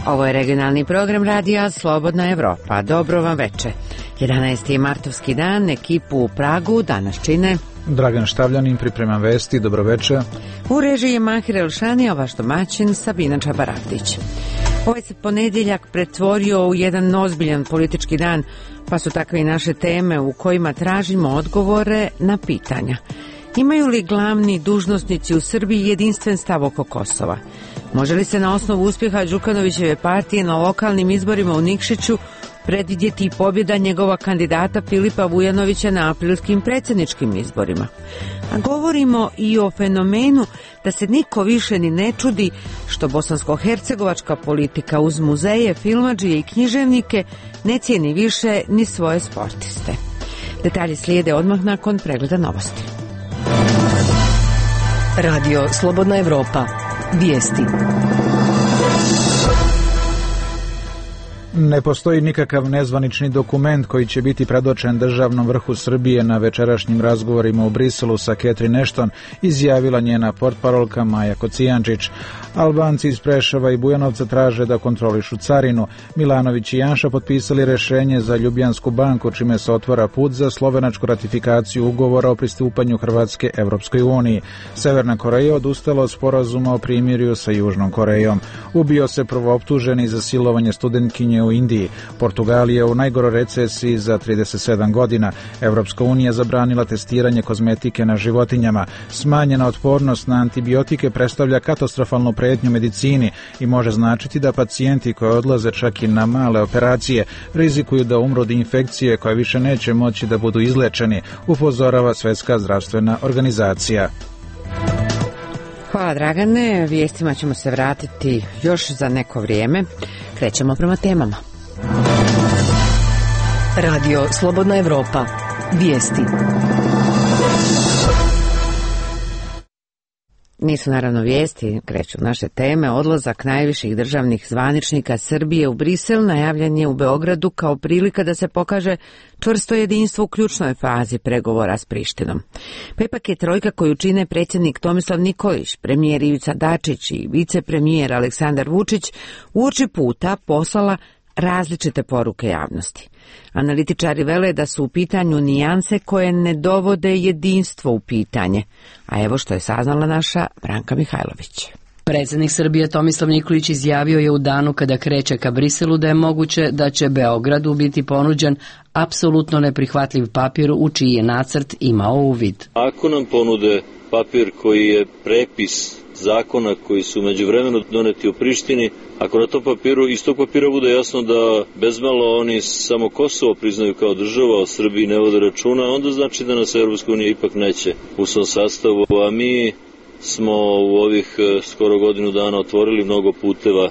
Ovo je regionalni program radija Slobodna Evropa. Dobro vam veče. 11. martovski dan, ekipu u Pragu danas čine Dragan Štavljanin, priprema vesti, dobroveče. U režiji je Mahir Elšani, a vaš domaćin Sabina Čabaravdić. Ovaj se ponedjeljak pretvorio u jedan ozbiljan politički dan, pa su takve i naše teme u kojima tražimo odgovore na pitanja. Imaju li glavni dužnosnici u Srbiji jedinstven stav oko Kosova? Može li se na osnovu uspjeha Đukanovićeve partije na lokalnim izborima u Nikšiću predvidjeti i pobjeda njegova kandidata Filipa Vujanovića na aprilskim predsjedničkim izborima? A govorimo i o fenomenu da se niko više ni ne čudi što bosansko-hercegovačka politika uz muzeje, filmadžije i književnike ne cijeni više ni svoje sportiste. Detalji slijede odmah nakon pregleda novosti. Radio Slobodna Evropa. Vijesti. Ne postoji nikakav nezvanični dokument koji će biti predočen državnom vrhu Srbije na večerašnjim razgovorima u Briselu sa Catherine Ashton, izjavila njena portparolka Maja Kocijančić. Albanci iz Preševa i Bujanovca traže da kontrolišu carinu. Milanović i Janša potpisali rješenje za Ljubljansku banku, čime se otvara put za slovenačku ratifikaciju ugovora o pristupanju Hrvatske Evropskoj uniji. Severna Koreja odustala od sporazuma o primirju sa Južnom Korejom. Ubio se prvooptuženi za silovanje studentkinje u Indiji. Portugalija u najgoroj recesiji za 37 godina. Evropska unija zabranila testiranje kozmetike na životinjama. Smanjena otpornost na antibiotike predstavlja katastrofalnu prijetnju medicini i može značiti da pacijenti koji odlaze čak i na male operacije rizikuju da umru od infekcije koja više neće moći da budu izlečeni, upozorava Svjetska zdravstvena organizacija. Hvala Dragane, vijestima ćemo se vratiti još za neko vrijeme. Krećemo prema temama. Radio Slobodna Evropa. Vijesti. Nisu naravno vijesti, kreću naše teme. Odlazak najviših državnih zvaničnika Srbije u Brisel najavljen je u Beogradu kao prilika da se pokaže čvrsto jedinstvo u ključnoj fazi pregovora s Prištinom. Pa ipak je trojka koju čine predsjednik Tomislav Nikolić, premijer Ivica Dačić i vicepremijer Aleksandar Vučić uoči puta poslala različite poruke javnosti. Analitičari vele da su u pitanju nijanse koje ne dovode jedinstvo u pitanje. A evo što je saznala naša Branka Mihajlović. Predsjednik Srbije Tomislav Nikolić izjavio je u danu kada kreće ka Briselu da je moguće da će Beogradu biti ponuđen apsolutno neprihvatljiv papir u čiji je nacrt imao uvid. Ako nam ponude papir koji je prepis zakona koji su međuvremeno doneti u Prištini, ako na tom papiru, iz tog papira bude jasno da bezmalo oni samo Kosovo priznaju kao država, o Srbiji ne vode računa, onda znači da nas Europska unija ipak neće u svom sastavu, a mi smo u ovih skoro godinu dana otvorili mnogo puteva,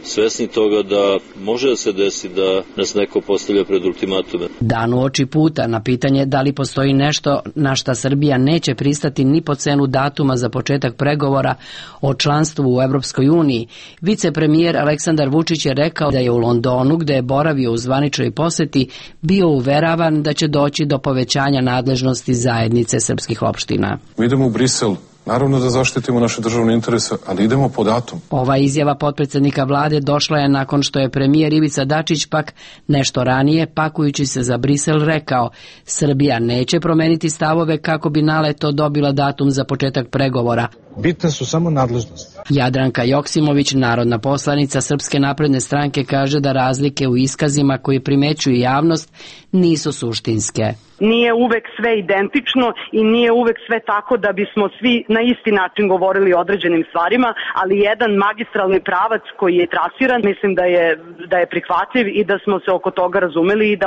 svesni toga da može da se desi da nas neko postavlja pred ultimatume. Dan uoči puta na pitanje da li postoji nešto na šta Srbija neće pristati ni po cenu datuma za početak pregovora o članstvu u Evropskoj uniji, vicepremijer Aleksandar Vučić je rekao da je u Londonu, gde je boravio u zvaničnoj posjeti, bio uveravan da će doći do povećanja nadležnosti zajednice srpskih opština. Mi idemo u Brisel, naravno da zaštitimo naše državne interese, ali idemo po datum. Ova izjava potpredsjednika vlade došla je nakon što je premijer Ivica Dačić pak nešto ranije, pakujući se za Brisel, rekao: Srbija neće promeniti stavove kako bi naleto dobila datum za početak pregovora. Bitne su samo nadležnosti. Jadranka Joksimović, narodna poslanica Srpske napredne stranke, kaže da razlike u iskazima koje primećuju javnost nisu suštinske. Nije uvek sve identično i nije uvek sve tako da bismo svi na isti način govorili o određenim stvarima, ali jedan magistralni pravac koji je trasiran, mislim da je prihvatljiv i da smo se oko toga razumeli i da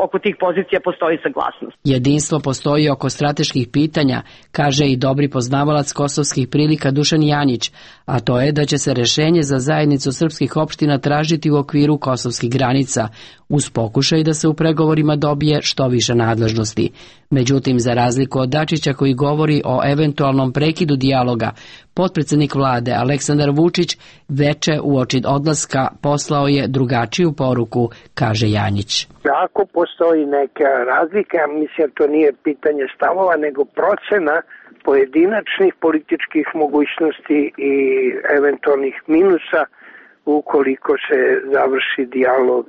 oko tih pozicija postoji saglasnost. Jedinstvo postoji oko strateških pitanja, kaže i dobri poznavalac kosovskih prilika Dušan Janjić, a to je da će se rješenje za zajednicu srpskih opština tražiti u okviru kosovskih granica, uz pokušaj da se u pregovorima dobije što više nadležnosti. Međutim, za razliku od Dačića koji govori o eventualnom prekidu dijaloga, potpredsjednik vlade Aleksandar Vučić veče uoči odlaska poslao je drugačiju poruku, kaže Janjić. Ako postoji neka razlika, mislim to nije pitanje stavova, nego procena pojedinačnih političkih mogućnosti i eventualnih minusa ukoliko se završi dijalog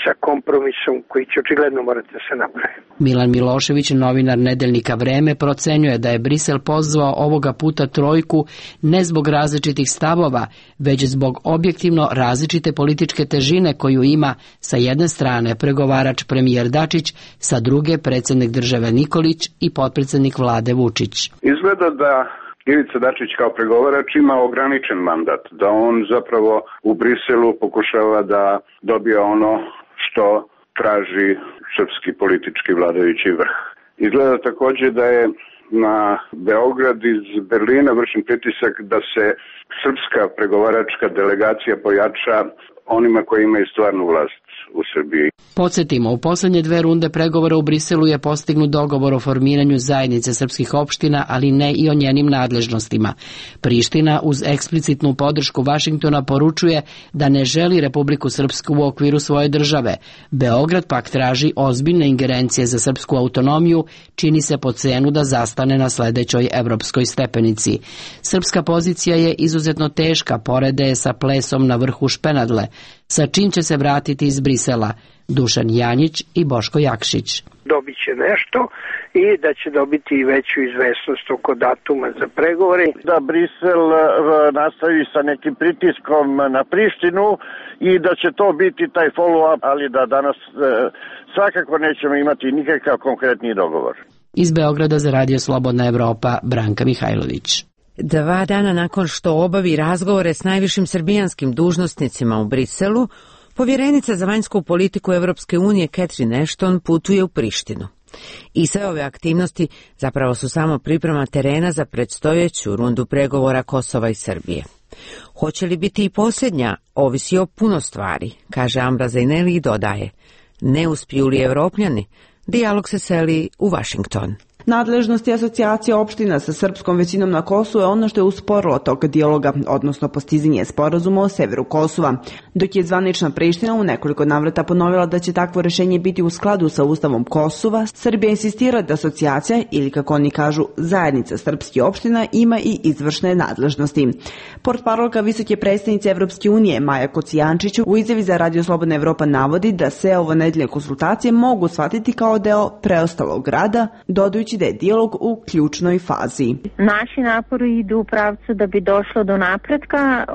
sa kompromisom koji će očigledno morati da se napravi. Milan Milošević, novinar nedeljnika Vreme, procenjuje da je Brisel pozvao ovoga puta trojku ne zbog različitih stavova, već zbog objektivno različite političke težine koju ima sa jedne strane pregovarač premijer Dačić, sa druge predsjednik države Nikolić i potpredsjednik vlade Vučić. Izgleda da Ivica Dačić kao pregovarač ima ograničen mandat, da on zapravo u Briselu pokušava da dobije ono što traži srpski politički vladajući vrh. Izgleda također da je na Beograd iz Berlina vršen pritisak da se srpska pregovaračka delegacija pojača onima koji imaju stvarnu vlast u Srbiji. Podsjetimo, u posljednje 2 runde pregovora u Briselu je postignut dogovor o formiranju zajednice srpskih opština, ali ne i o njenim nadležnostima. Priština uz eksplicitnu podršku Vašingtona poručuje da ne želi Republiku Srpsku u okviru svoje države. Beograd pak traži ozbiljne ingerencije za srpsku autonomiju, čini se po cenu da zastane na sledećoj evropskoj stepenici. Srpska pozicija je izuzetno teška, porede je sa plesom na vrhu Špenadle, sa čim će se vratiti iz Brisela Dušan Janjić i Boško Jakšić. Dobit će nešto i da će dobiti i veću izvesnost oko datuma za pregovore. Da Brisel nastavi sa nekim pritiskom na Prištinu i da će to biti taj follow-up, ali da danas svakako nećemo imati nikakav konkretni dogovor. Iz Beograda za Radio Slobodna Evropa, Branka Mihajlović. 2 dana nakon što obavi razgovore s najvišim srbijanskim dužnosnicima u Briselu, povjerenica za vanjsku politiku Evropske unije Catherine Ashton putuje u Prištinu. I sve ove aktivnosti zapravo su samo priprema terena za predstojeću rundu pregovora Kosova i Srbije. Hoće li biti i posljednja, ovisi o puno stvari, kaže Ambra Zajneli i dodaje, ne uspiju li Evropljani, dijalog se seli u Vašington. Nadležnosti asocijacije opština sa srpskom većinom na Kosovu je ono što je usporilo tok dijaloga, odnosno postizanje sporazuma o severu Kosova, dok je zvanična Priština u nekoliko navrata ponovila da će takvo rešenje biti u skladu sa Ustavom Kosova. Srbija insistira da asocijacija, ili kako oni kažu zajednica srpskih opština, ima i izvršne nadležnosti. Portparolka visoke predstavnice Evropske unije Maja Kocijančić u izjavi za Radio Slobodna Evropa navodi da se ovo nedeljne konsultacije mogu shvatiti kao deo preostalog rada, dodajući da je dijalog u ključnoj fazi. Naši napori idu u pravcu da bi došlo do napretka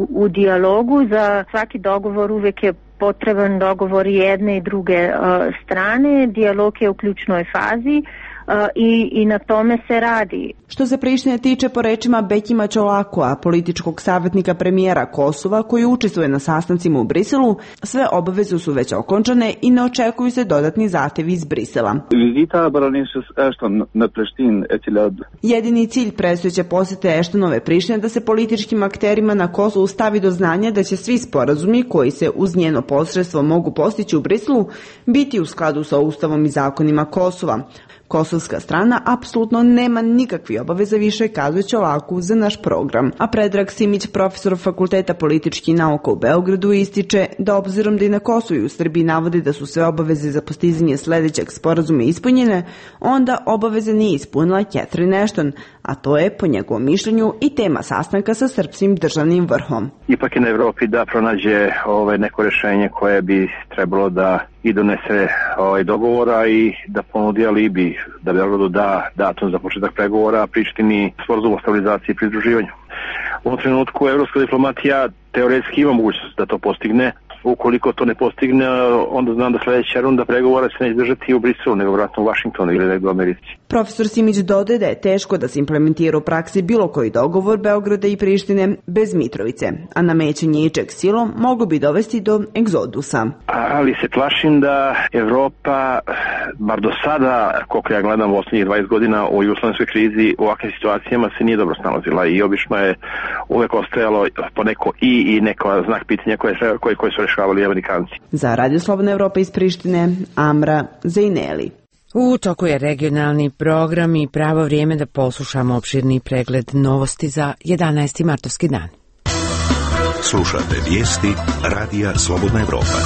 u dijalogu. Za svaki dogovor uvijek je potreban dogovor jedne i druge strane. Dijalog je u ključnoj fazi. I na tome se radi. Što se Prištine tiče, po rečima Bekima Čolakova, političkog savjetnika premijera Kosova koji učestvuje na sastancima u Briselu, sve obaveze su već okončane i ne očekuju se dodatni zahtevi iz Brisela. Jedini cilj predstojeće posjete Ashtonove Prištine da se političkim akterima na Kosovu stavi do znanja da će svi sporazumi koji se uz njeno posredstvo mogu postići u Briselu biti u skladu sa Ustavom i zakonima Kosova. Kosovska strana apsolutno nema nikakve obaveze više, kazuje Čolaku za naš program. A Predrag Simić, profesor Fakulteta političkih nauka u Beogradu, ističe da obzirom da i na Kosovu i u Srbiji navode da su sve obaveze za postizanje sledećeg sporazuma ispunjene, onda obaveze nije ispunila Catherine Ashton, a to je po njegovom mišljenju i tema sastanka sa srpskim državnim vrhom. Ipak je na Evropi da pronađe neko rešenje koje bi trebalo da i donese dogovora i da ponudi alibi da Beogradu da datum za početak pregovora, a Prištini sporazum o stabilizaciji i pridruživanju. U ovom trenutku evropska diplomatija teoretski ima mogućnost da to postigne. Ukoliko to ne postigne, onda znam da sledeća runda pregovora se neće držati u Briselu, nego vratno u Vašingtonu ili negdje u Americi. Profesor Simić dodaje da je teško da se implementira u praksi bilo koji dogovor Beograda i Prištine bez Mitrovice, a namećanje ičeg silom moglo bi dovesti do egzodusa. Ali se plašim da Evropa, bar do sada, koliko ja gledam u osnovnih 20 godina u jugoslovenskoj krizi, u ovakvim situacijama se nije dobro snalazila i obično je uvek ostajalo poneko i neko znak pitanja koje su rešavali Amerikanci. Za Radio Slobodna Evropa iz Prištine, Amra Zajneli. U toku je regionalni program i pravo vrijeme da poslušamo opširni pregled novosti za 11. martovski dan. Slušate vijesti Radija Slobodna Evropa.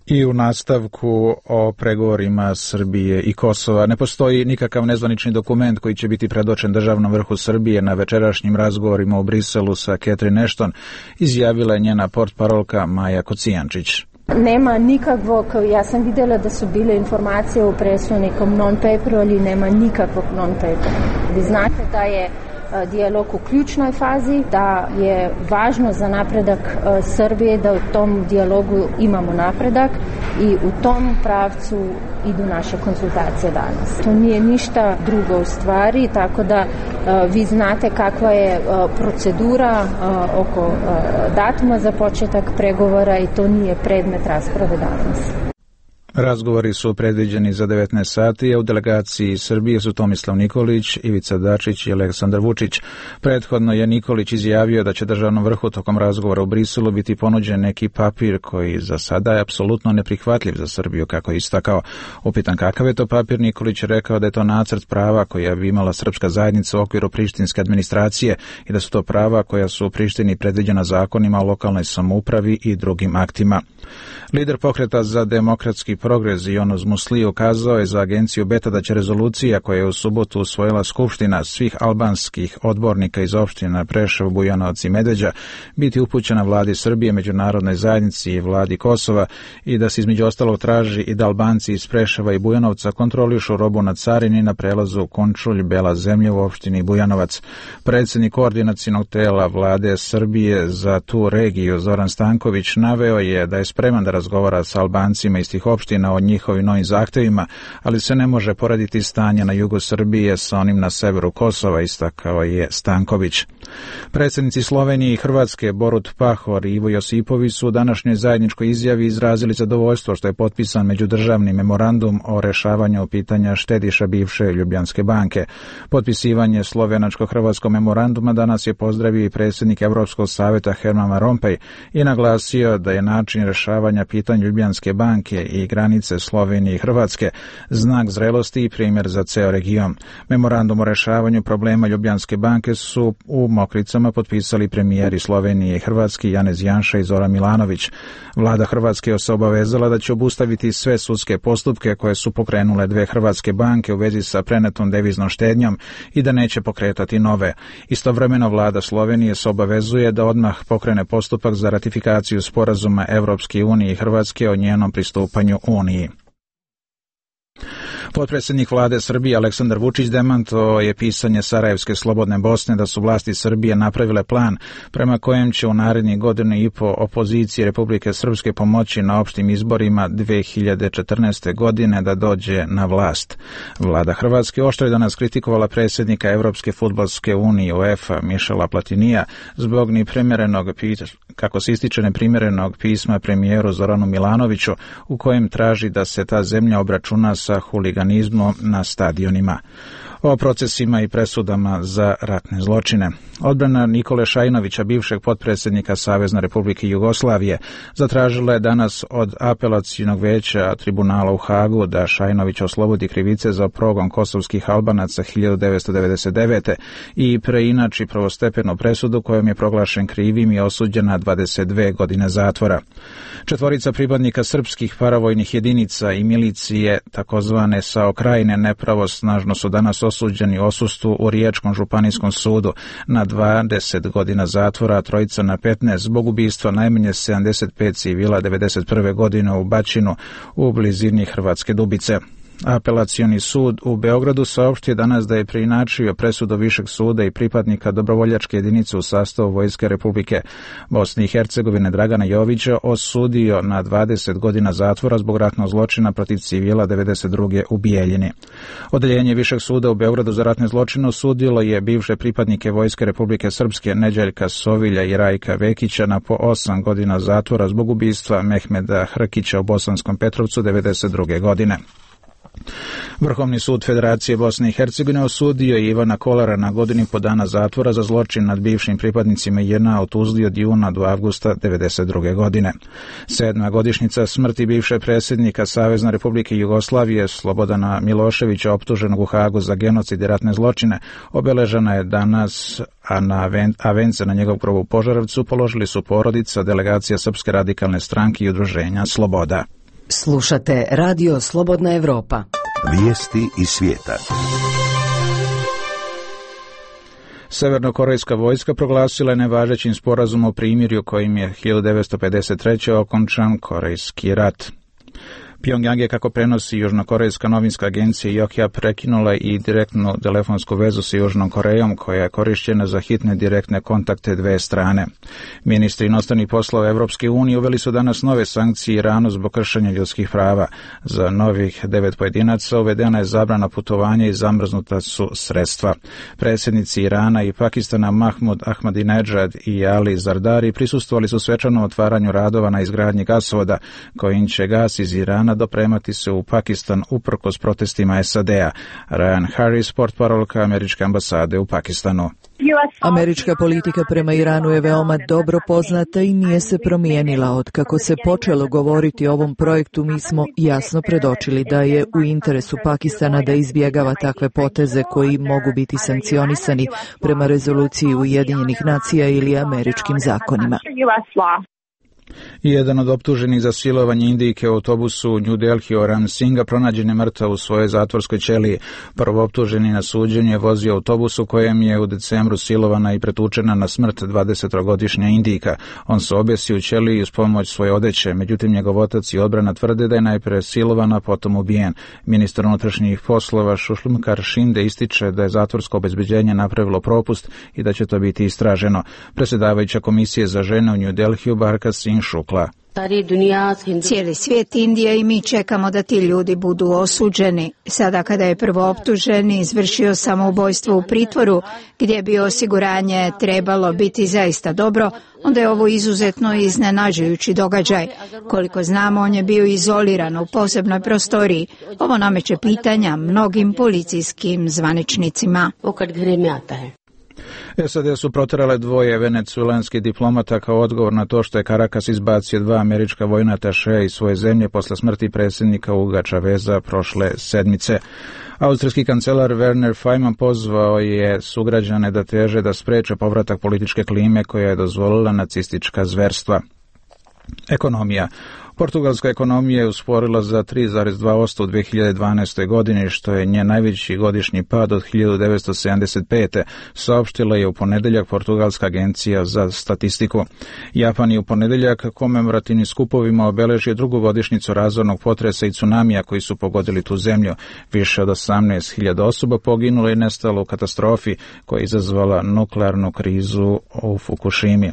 I u nastavku o pregovorima Srbije i Kosova. Ne postoji nikakav nezvanični dokument koji će biti predočen državnom vrhu Srbije na večerašnjim razgovorima u Briselu sa Catherine Ashton, izjavila je njena portparolka Maja Kocijančić. Nema nikakvog, ja sam vidjela da su bile informacije u presu o nekom non-paperu, ali nema nikakvog non-papera. Vi znate da je dijalog u ključnoj fazi, da je važno za napredak Srbije da u tom dijalogu imamo napredak i u tom pravcu idu naše konsultacije danas. To nije ništa drugo u stvari, tako da vi znate kakva je procedura oko datuma za početak pregovora i to nije predmet rasprave danas. Razgovori su predviđeni za 19 sati, a u delegaciji Srbije su Tomislav Nikolić, Ivica Dačić i Aleksandar Vučić. Prethodno je Nikolić izjavio da će državnom vrhu tokom razgovora u Briselu biti ponuđen neki papir koji za sada je apsolutno neprihvatljiv za Srbiju, kako je istakao. Upitan kakav je to papir, Nikolić je rekao da je to nacrt prava koja bi imala srpska zajednica u okviru prištinske administracije i da su to prava koja su u Prištini predviđena zakonima o lokalnoj samoupravi i drugim aktima. Lider pokreta za demokratski progres Yonos Musli ukazao je za agenciju Beta da će rezolucija koja je u subotu usvojila Skupština svih albanskih odbornika iz opština Preševo, Bujanovac i Medveđa biti upućena vladi Srbije, međunarodnoj zajednici i vladi Kosova i da se između ostalog traži i da Albanci iz Preševa i Bujanovca kontrolišu robu na carini na prelazu Končulj-Bela zemlja u opštini Bujanovac. Predsjednik koordinacionog tela vlade Srbije za tu regiju Zoran Stanković naveo je da je spreman da razgovara sa Albancima iz tih opština o njihovim novim zahtevima, ali se ne može porediti stanje na jugu Srbije sa onim na severu Kosova, istakao je Stanković. Predsjednici Slovenije i Hrvatske Borut Pahor i Ivo Josipović su u današnjoj zajedničkoj izjavi izrazili zadovoljstvo što je potpisan međudržavni memorandum o rešavanju pitanja štediša bivše Ljubljanske banke. Potpisivanje slovenačko-hrvatskog memoranduma danas je pozdravio i predsjednik Evropskog savjeta Herman Van Rompuy i naglasio da je način rešavanja pitanja Ljubljanske banke i granice Slovenije i Hrvatske znak zrelosti i primjer za ceo region. Memorandum o rešavanju problema Ljubljanske banke su u Mokricama potpisali premijeri Slovenije i Hrvatske Janez Janša i Zoran Milanović. Vlada Hrvatske se obavezala da će obustaviti sve sudske postupke koje su pokrenule dve hrvatske banke u vezi sa prenetom deviznom štednjom i da neće pokretati nove. Istovremeno vlada Slovenije se obavezuje da odmah pokrene postupak za ratifikaciju sporazuma Evropske unije i Hrvatske o njenom pristupanju Uniji. Potpredsjednik vlade Srbije Aleksandar Vučić demantovao je pisanje Sarajevske slobodne Bosne da su vlasti Srbije napravile plan prema kojem će u narednih godinu i po opoziciji Republike Srpske pomoći na opštim izborima 2014. godine da dođe na vlast. Vlada Hrvatske oštro je danas kritikovala predsjednika Evropske fudbalske unije UEFA Mišela Platinija zbog kako se ističe neprimjerenog pisma premijeru Zoranu Milanoviću u kojem traži da se ta zemlja obračuna sa huliganizmom na stadionima. O procesima i presudama za ratne zločine. Odbrana Nikole Šajnovića, bivšeg potpredsjednika Savezne Republike Jugoslavije, zatražila je danas od apelacionog veća tribunala u Hagu da Šajnović oslobodi krivice za progon kosovskih Albanaca 1999. i preinači prvostepenu presudu kojom je proglašen krivim i osuđen na 22 godine zatvora. Četvorica pripadnika srpskih paravojnih jedinica i milicije takozvane SAO Krajine nepravosnažno su danas osuđeni u odsustvu u Riječkom županijskom sudu na 20 godina zatvora, a trojica na 15 zbog ubistva najmanje 75 civila 1991. godine u Bačinu u blizini Hrvatske Dubice. Apelacioni sud u Beogradu saopštio danas da je preinačio presudu Višeg suda i pripadnika dobrovoljačke jedinice u sastavu Vojske Republike Bosne i Hercegovine Dragana Jovića osudio na 20 godina zatvora zbog ratnog zločina protiv civila 92. u Bijeljini. Odeljenje Višeg suda u Beogradu za ratne zločine osudilo je bivše pripadnike Vojske Republike Srpske Neđeljka Sovilja i Rajka Vekića na po 8 godina zatvora zbog ubistva Mehmeda Hrkića u Bosanskom Petrovcu 92. godine. Vrhovni sud Federacije Bosne i Hercegovine osudio je Ivana Kolara na godinu i po dana zatvora za zločin nad bivšim pripadnicima JNA u Tuzli od juna do avgusta 1992. godine. 7. godišnjica smrti bivše predsjednika Savezne Republike Jugoslavije Slobodana Miloševića, optuženog u Hagu za genocid i ratne zločine, obeležena je danas, a vence na njegov grob u Požarevcu položili su porodica, delegacija Srpske radikalne stranke i udruženja Sloboda. Slušate Radio Slobodna Evropa. Vijesti iz svijeta. Severnokorejska vojska proglasila je nevažećim sporazum o primirju kojim je 1953. okončan Korejski rat. Pjongjang je, kako prenosi južnokorejska novinska agencija Yokja, prekinula i direktnu telefonsku vezu sa Južnom Korejom, koja je korišćena za hitne direktne kontakte dve strane. Ministri inostranih poslova Evropske unije uveli su danas nove sankcije Iranu zbog kršenja ljudskih prava. Za novih 9 pojedinaca uvedena je zabrana putovanja i zamrznuta su sredstva. Predsjednici Irana i Pakistana Mahmud Ahmadinejad i Ali Zardari prisustvovali su svečanom otvaranju radova na izgradnji gasovoda, kojim će gas iz Irana dopremati se u Pakistan uprkos protestima SAD-a. Ryan Harris, portparolka američke ambasade u Pakistanu. Američka politika prema Iranu je veoma dobro poznata i nije se promijenila. Od kako se počelo govoriti o ovom projektu, mi smo jasno predočili da je u interesu Pakistana da izbjegava takve poteze koji mogu biti sankcionisani prema rezoluciji Ujedinjenih nacija ili američkim zakonima. Jedan od optuženih za silovanje Indijke u autobusu u New Delhi, Oram Singha, pronađen je mrtav u svojoj zatvorskoj ćeliji. Prvooptuženi na suđenju je vozio autobus u kojem je u decembru silovana i pretučena na smrt 20-godišnja Indijka. On se objesio u ćeliji uz pomoć svoje odeće, međutim njegov otac i odbrana tvrde da je najprije silovana, potom ubijen. Ministar unutrašnjih poslova Sushmkar Shinde ističe da je zatvorsko obezbeđenje napravilo propust i da će to biti istraženo. Predsjedavajuća komisije za žene u New Delhiju Barka Singh Shukla. Cijeli svijet, Indija i mi čekamo da ti ljudi budu osuđeni. Sada kada je prvooptuženi izvršio samoubojstvo u pritvoru, gdje bi osiguranje trebalo biti zaista dobro, onda je ovo izuzetno iznenađujući događaj. Koliko znamo, on je bio izoliran u posebnoj prostoriji. Ovo nameće pitanja mnogim policijskim zvaničnicima. SAD su proterale dvoje venecuelanskih diplomata kao odgovor na to što je Caracas izbacio 2 američka vojna atašeja iz svoje zemlje posle smrti predsjednika Huga Chaveza prošle sedmice. Austrijski kancelar Werner Faymann pozvao je sugrađane da teže da spreče povratak političke klime koja je dozvolila nacistička zverstva. Ekonomija. Portugalska ekonomija je usporila za 3,2% u 2012. godini, što je njen najveći godišnji pad od 1975. saopštila je u ponedeljak Portugalska agencija za statistiku. Japan je u ponedeljak komemorativnim skupovima obeležio drugu godišnjicu razornog potresa i tsunamija koji su pogodili tu zemlju. Više od 18.000 osoba poginulo i nestalo u katastrofi koja je izazvala nuklearnu krizu u Fukushimi.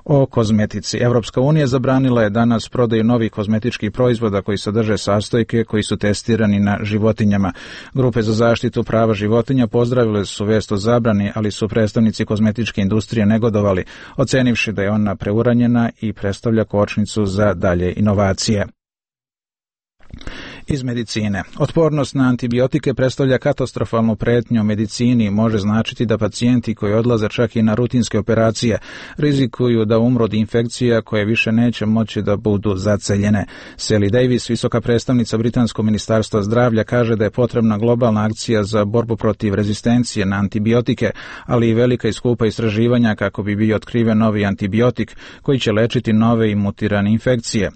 O kozmetici. Evropska unija zabranila je danas prodaju novih kozmetičkih proizvoda koji sadrže sastojke koji su testirani na životinjama. Grupe za zaštitu prava životinja pozdravile su vest o zabrani, ali su predstavnici kozmetičke industrije negodovali, ocenivši da je ona preuranjena i predstavlja kočnicu za dalje inovacije. Iz medicine. Otpornost na antibiotike predstavlja katastrofalnu pretnju u medicini i može značiti da pacijenti koji odlaze čak i na rutinske operacije rizikuju da umru od infekcija koje više neće moći da budu zaceljene. Sally Davis, visoka predstavnica Britanskog ministarstva zdravlja, kaže da je potrebna globalna akcija za borbu protiv rezistencije na antibiotike, ali i velika i skupa istraživanja kako bi bio otkriven novi antibiotik koji će lečiti nove i mutirane infekcije.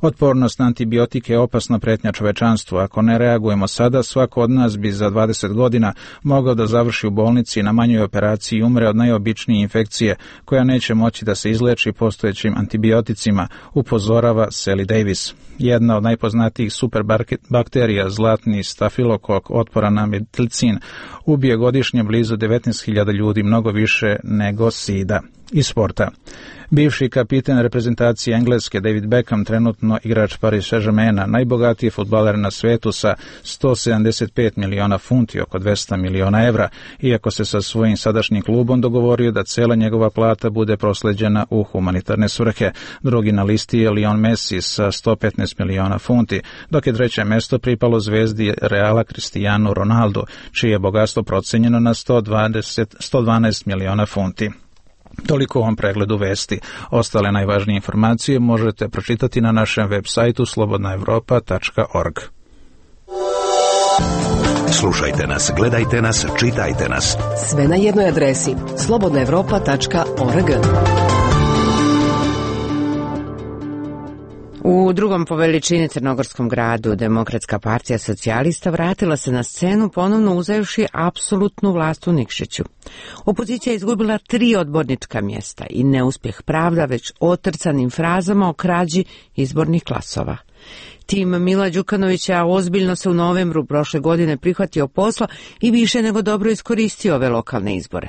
Otpornost na antibiotike je opasna pretnja čovečanstvu. Ako ne reagujemo sada, svako od nas bi za 20 godina mogao da završi u bolnici i na manjoj operaciji i umre od najobičnije infekcije koja neće moći da se izleči postojećim antibioticima, upozorava Sally Davis. Jedna od najpoznatijih superbakterija, zlatni stafilokok otporan na metilcin, ubije godišnje blizu 19.000 ljudi, mnogo više nego sida. Iz sporta. Bivši kapiten reprezentacije Engleske David Beckham, trenutno igrač Paris Saint-Germaina, najbogatiji fudbaler na svetu sa 175 miliona funti, oko 200 miliona evra, iako se sa svojim sadašnjim klubom dogovorio da cela njegova plata bude prosleđena u humanitarne svrhe. Drugi na listi je Lionel Messi sa 115 miliona funti, dok je treće mesto pripalo zvezdi Reala Cristiano Ronaldo, čije je bogatstvo procenjeno na 112 miliona funti. Toliko u ovom pregledu vesti. Ostale najvažnije informacije možete pročitati na našem web sajtu slobodnaevropa.org. Slušajte nas, gledajte nas, čitajte nas. Sve na jednoj adresi slobodnaevropa.org. U drugom po veličini crnogorskom gradu Demokratska partija socijalista vratila se na scenu ponovno uzevši apsolutnu vlast u Nikšiću. Opozicija je izgubila 3 odbornička mjesta i neuspjeh pravda već otrcanim frazama o krađi izbornih glasova. Tim Mila Đukanovića ozbiljno se u novembru prošle godine prihvatio posla i više nego dobro iskoristio ove lokalne izbore.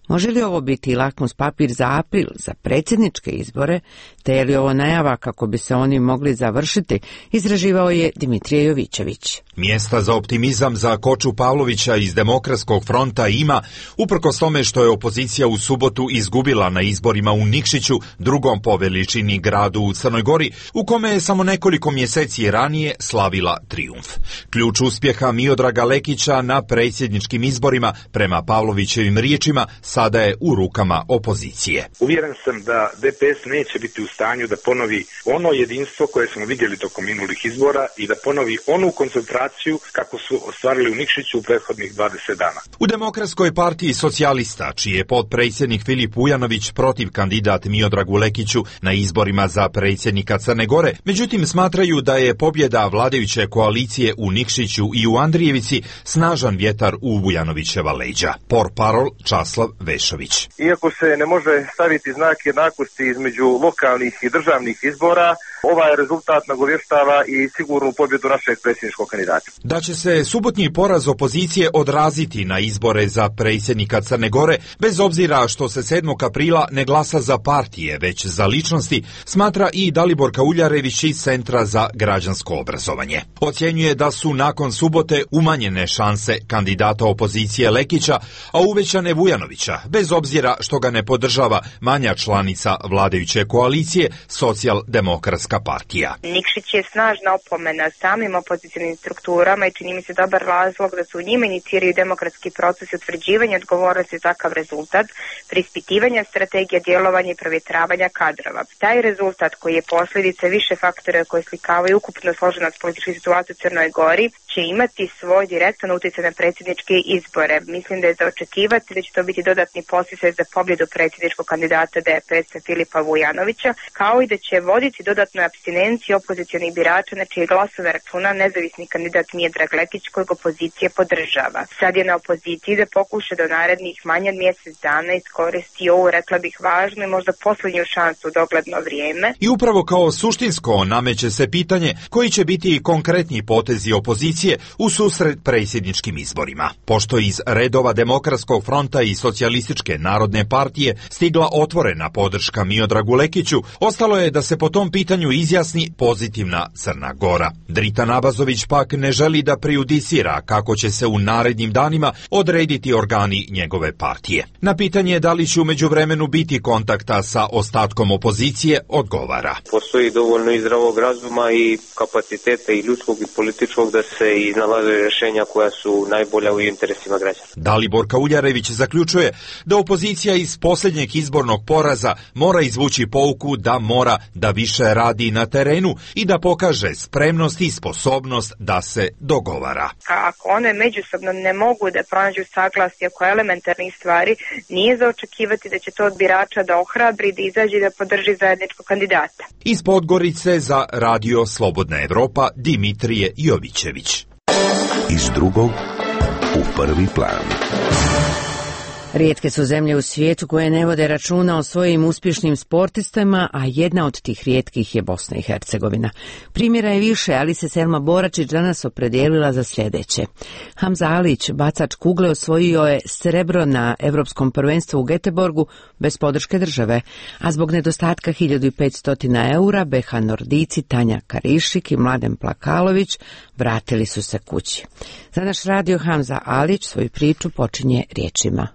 Može li ovo biti lakmus papir za april, za predsjedničke izbore, te je li ovo najava kako bi se oni mogli završiti, izraživao je Dimitrije Jovićević. Mjesta za optimizam za Koču Pavlovića iz Demokratskog fronta ima, uprkos tome što je opozicija u subotu izgubila na izborima u Nikšiću, drugom po veličini gradu u Crnoj Gori, u kome je samo nekoliko mjeseci ranije slavila trijumf. Ključ uspjeha Miodraga Lekića na predsjedničkim izborima, prema Pavlovićevim riječima, sada je u rukama opozicije. Uvjeren sam da DPS neće biti u stanju da ponovi ono jedinstvo koje smo vidjeli tokom minulih izbora i da ponovi onu koncentraciju kako su ostvarili u Nikšiću u prethodnih 20 dana. U Demokratskoj partiji socijalista, čiji je potpredsjednik Filip Vujanović protiv kandidat Miodragu Lekiću na izborima za predsjednika Crne Gore, međutim smatraju da je pobjeda vladajuće koalicije u Nikšiću i u Andrijevici snažan vjetar u Vujanovićeva leđa. Portparol Časlav Vešović. Iako se ne može staviti znak jednakosti između lokalnih i državnih izbora, ovaj rezultat nagovještava i sigurnu pobjedu našeg predsjedničkog kandidata. Da će se subotnji poraz opozicije odraziti na izbore za predsjednika Crne Gore, bez obzira što se 7. aprila ne glasa za partije, već za ličnosti, smatra i Dalibor Kauljarević iz Centra za građansko obrazovanje. Ocjenjuje da su nakon subote umanjene šanse kandidata opozicije Lekića, a uvećane Vujanovića, bez obzira što ga ne podržava manja članica vladajuće koalicije, Socijaldemokratska partija. Nikšić je snažna opomena samim opozicionim strukturama i čini mi se dobar razlog da su u njima iniciraju demokratski proces utvrđivanja odgovornosti za takav rezultat, preispitivanja strategija djelovanja i provjetravanja kadrova. Taj rezultat koji je posljedica više faktora koji slikavaju ukupno složenost političke situacije u Crnoj Gori će imati svoj direktan utjecaj na predsjedničke izbore. Mislim da je za očekivati da će to biti dodatni podsticaj za pobjedu predsjedničkog kandidata DPS-a Filipa Vujanovića, kao i da će voditi dodatnu apstinenciju opozicionih birača na čije glasove računa nezavisni kandidat Miodrag Lekić kojeg opozicija podržava. Sad je na opoziciji da pokuša do narednih manje od mjesec dana iskoristi ovu, rekla bih, važnu i možda posljednju šansu u dogledno vrijeme. I upravo kao suštinsko nameće se pitanje koji će biti konkretni potezi opozicije u susret predsjedničkim izborima. Pošto iz redova Demokratskog fronta i Socijalističke narodne partije stigla otvorena podrška Miodragu Lekiću, ostalo je da se po tom pitanju izjasni pozitivna Crna Gora. Drita Nabazović pak ne želi da prejudicira kako će se u narednim danima odrediti organi njegove partije. Na pitanje da li će u međuvremenu biti kontakta sa ostatkom opozicije, odgovara. Postoji dovoljno i zdravog razuma i kapaciteta i ljudskog i političkog da se iznalaze rješenja koja su najbolja u interesima građana. Dalibor Kauljarević zaključuje da opozicija iz posljednjeg izbornog poraza mora izvući pouku da mora da više radi na terenu i da pokaže spremnost i sposobnost da se dogovara. Ako one međusobno ne mogu da pronađu saglasje oko elementarnih stvari, nije za očekivati da će to od birača da ohrabri, da izađe da podrži zajedničkog kandidata. Iz Podgorice za Radio Slobodna Evropa Dimitrije Jovićević. Iz drugog u prvi plan. Rijetke su zemlje u svijetu koje ne vode računa o svojim uspješnim sportistima, a jedna od tih rijetkih je Bosna i Hercegovina. Primjera je više, ali se Selma Boračić danas opredijelila za sljedeće. Hamza Alić, bacač kugle, osvojio je srebro na Europskom prvenstvu u Göteborgu bez podrške države, a zbog nedostatka 1500 eura BH Nordici Tanja Karišik i Mladen Plakalović vratili su se kući. Za naš radio Hamza Alić svoju priču počinje riječima.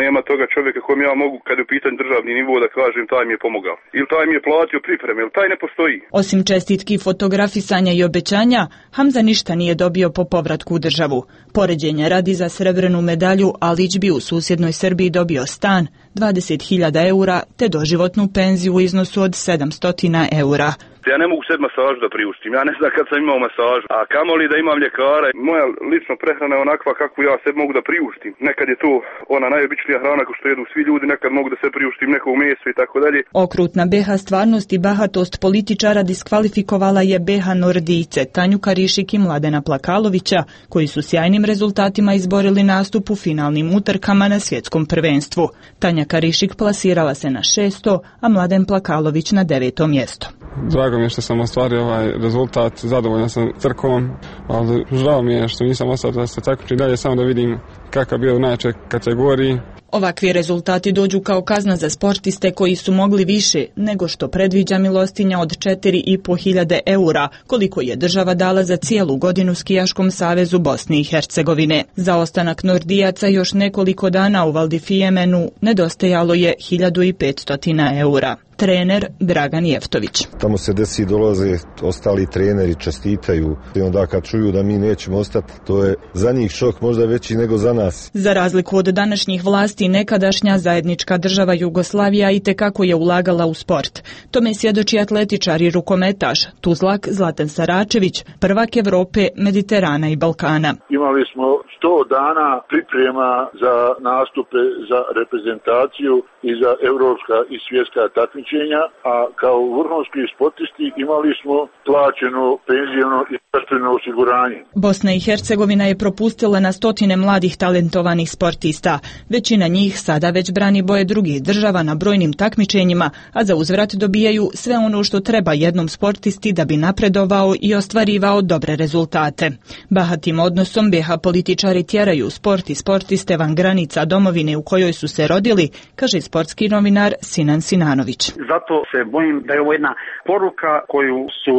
Nema toga čovjeka kojem ja mogu, kad je u pitanju državni nivo, da kažem taj mi je pomogao. Ili taj mi je platio pripreme, ili taj ne postoji. Osim čestitki, fotografisanja i obećanja, Hamza ništa nije dobio po povratku u državu. Poređenja radi, za srebrenu medalju Alić bi u susjednoj Srbiji dobio stan, 20.000 eura te doživotnu penziju u iznosu od 700 eura. Ja ne mogu sebi masažu da priuštim, ja ne znam kad sam imao masažu, a kamoli da imam ljekara. Moja lična prehrana je onakva kako ja sebi mogu da priuštim. Nekad je to ona najobičnija hrana ko što jedu svi ljudi, nekad mogu da se priuštim neko meso i tako dalje. Okrutna BH stvarnost i bahatost političara diskvalifikovala je BH Nordijce, Tanju Karišik i Mladena Plakalovića, koji su sjajnim rezultatima izborili nastup u finalnim utrkama na svjetskom prvenstvu. Tanja Karišik plasirala se na 6. a Mladen Plakalović na 9. mjesto. Drago mi je što sam ostvario ovaj rezultat, zadovoljan sam trkom, ali žao mi je što nisam ostao da se takmičim dalje, samo da vidim kakav bio u najjačoj kategoriji. Ovakvi rezultati dođu kao kazna za sportiste koji su mogli više nego što predviđa milostinja od 4.500 eura, koliko je država dala za cijelu godinu Skijaškom savezu Bosne i Hercegovine. Za ostanak Nordijaca još nekoliko dana u Valdifijemenu nedostajalo je 1.500 eura. Trener Dragan Jeftović. Tamo se desi, dolaze ostali treneri, čestitaju i onda kad čuju da mi nećemo ostati, to je za njih šok možda veći nego za nas. Za razliku od današnjih vlasti, nekadašnja zajednička država Jugoslavija itekako je ulagala u sport. Tome svjedoči atletičar i rukometaš Tuzlak Zlatan Saračević, prvak Evrope, Mediterana i Balkana. Imali smo 100 dana priprema za nastupe za reprezentaciju i za evropska i svjetska takmičenja, a kao vrhunski sportisti imali smo plaćeno penzijno i zdravstveno osiguranje. Bosna i Hercegovina je propustila na stotine mladih talentovanih sportista. Većina njih sada već brani boje drugih država na brojnim takmičenjima, a za uzvrat dobijaju sve ono što treba jednom sportisti da bi napredovao i ostvarivao dobre rezultate. Bahatim odnosom BH političari tjeraju sport i sportiste van granica domovine u kojoj su se rodili, kaže sportski novinar Sinan Sinanović. Zato se bojim da je ovo jedna poruka koju su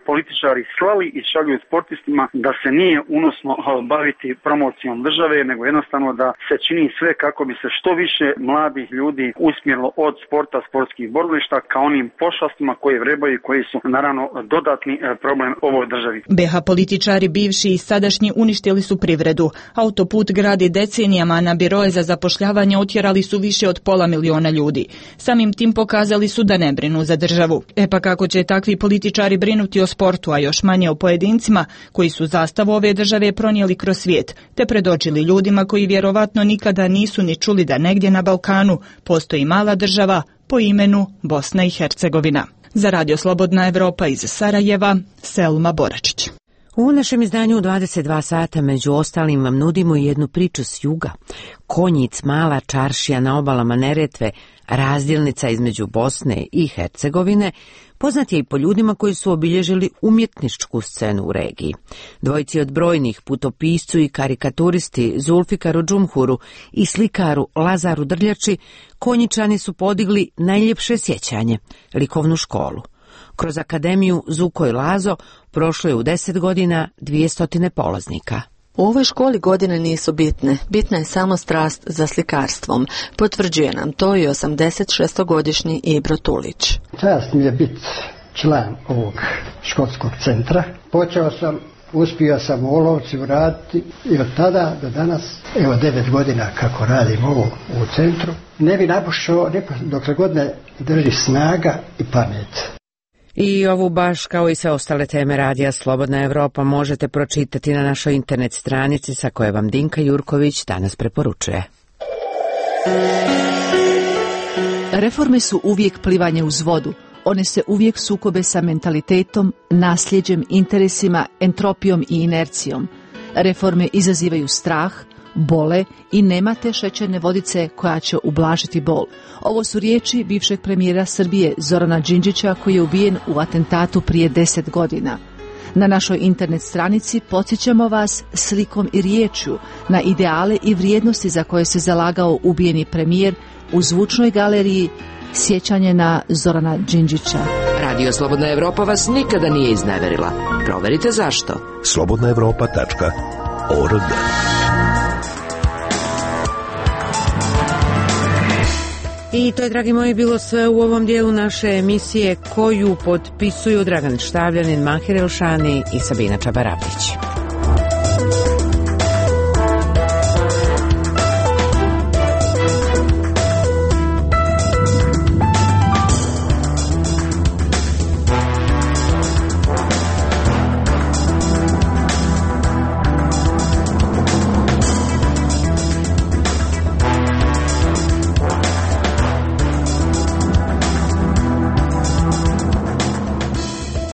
političari slali i šalju sportistima, da se nije unosno baviti promocijom države, nego jednostavno da se čini sve kako bi se što više mladih ljudi usmjerilo od sporta, sportskih borilišta ka onim pošastima koje vrebaju i koji su naravno dodatni problem ovoj državi. BH političari bivši i sadašnji uništili su privredu. Autoput gradi decenijama, na biroje za zapošljavanje otjerali su više od 500.000 ljudi. Samim tim pokazali su da ne brinu za državu. Pa kako će takvi političari brinuti o sportu, a još manje o pojedincima koji su zastavu ove države pronijeli kroz svijet, te predočili ljudima koji vjerovatno nikada nisu ni čuli da negdje na Balkanu postoji mala država po imenu Bosna i Hercegovina. Za Radio Slobodna Evropa iz Sarajeva, Selma Boračić. U našem izdanju u 22 sata među ostalim vam nudimo jednu priču s juga. Konjic, mala čaršija na obalama Neretve, razdjelnica između Bosne i Hercegovine, poznat je i po ljudima koji su obilježili umjetničku scenu u regiji. Dvojici od brojnih, putopiscu i karikaturisti Zulfikaru Džumhuru i slikaru Lazaru Drljači, Konjičani su podigli najljepše sjećanje, likovnu školu. Kroz akademiju Zuko i Lazo prošlo je u 10 godina 200 polaznika. U ovoj školi godine nisu bitne, bitna je samo strast za slikarstvom. Potvrđuje nam to i 86-godišnji Ibro Tulić. Čast mi je biti član ovog školskog centra. Uspio sam u Olovci uraditi i od tada do danas, 9 godina kako radim ovo u centru, ne bi napušao dokle god ne drži snaga i pamet. I ovu baš kao i sve ostale teme Radija Slobodna Evropa možete pročitati na našoj internet stranici sa koje vam Dinka Jurković danas preporučuje. Reforme su uvijek plivanje uz vodu. One se uvijek sukobe sa mentalitetom, nasljeđem, interesima, entropijom i inercijom. Reforme izazivaju strah, bole i nema te šećerne vodice koja će ublažiti bol. Ovo su riječi bivšeg premijera Srbije Zorana Đinđića koji je ubijen u atentatu prije 10 godina. Na našoj internet stranici podsjećamo vas slikom i riječju na ideale i vrijednosti za koje se zalagao ubijeni premijer u zvučnoj galeriji Sjećanje na Zorana Đinđića. Radio Slobodna Evropa vas nikada nije izneverila. Proverite zašto. slobodnaevropa.org. I to je, dragi moji, bilo sve u ovom dijelu naše emisije koju potpisuju Dragan Štavljanin, Mahir Elšani i Sabina Čabaravlić.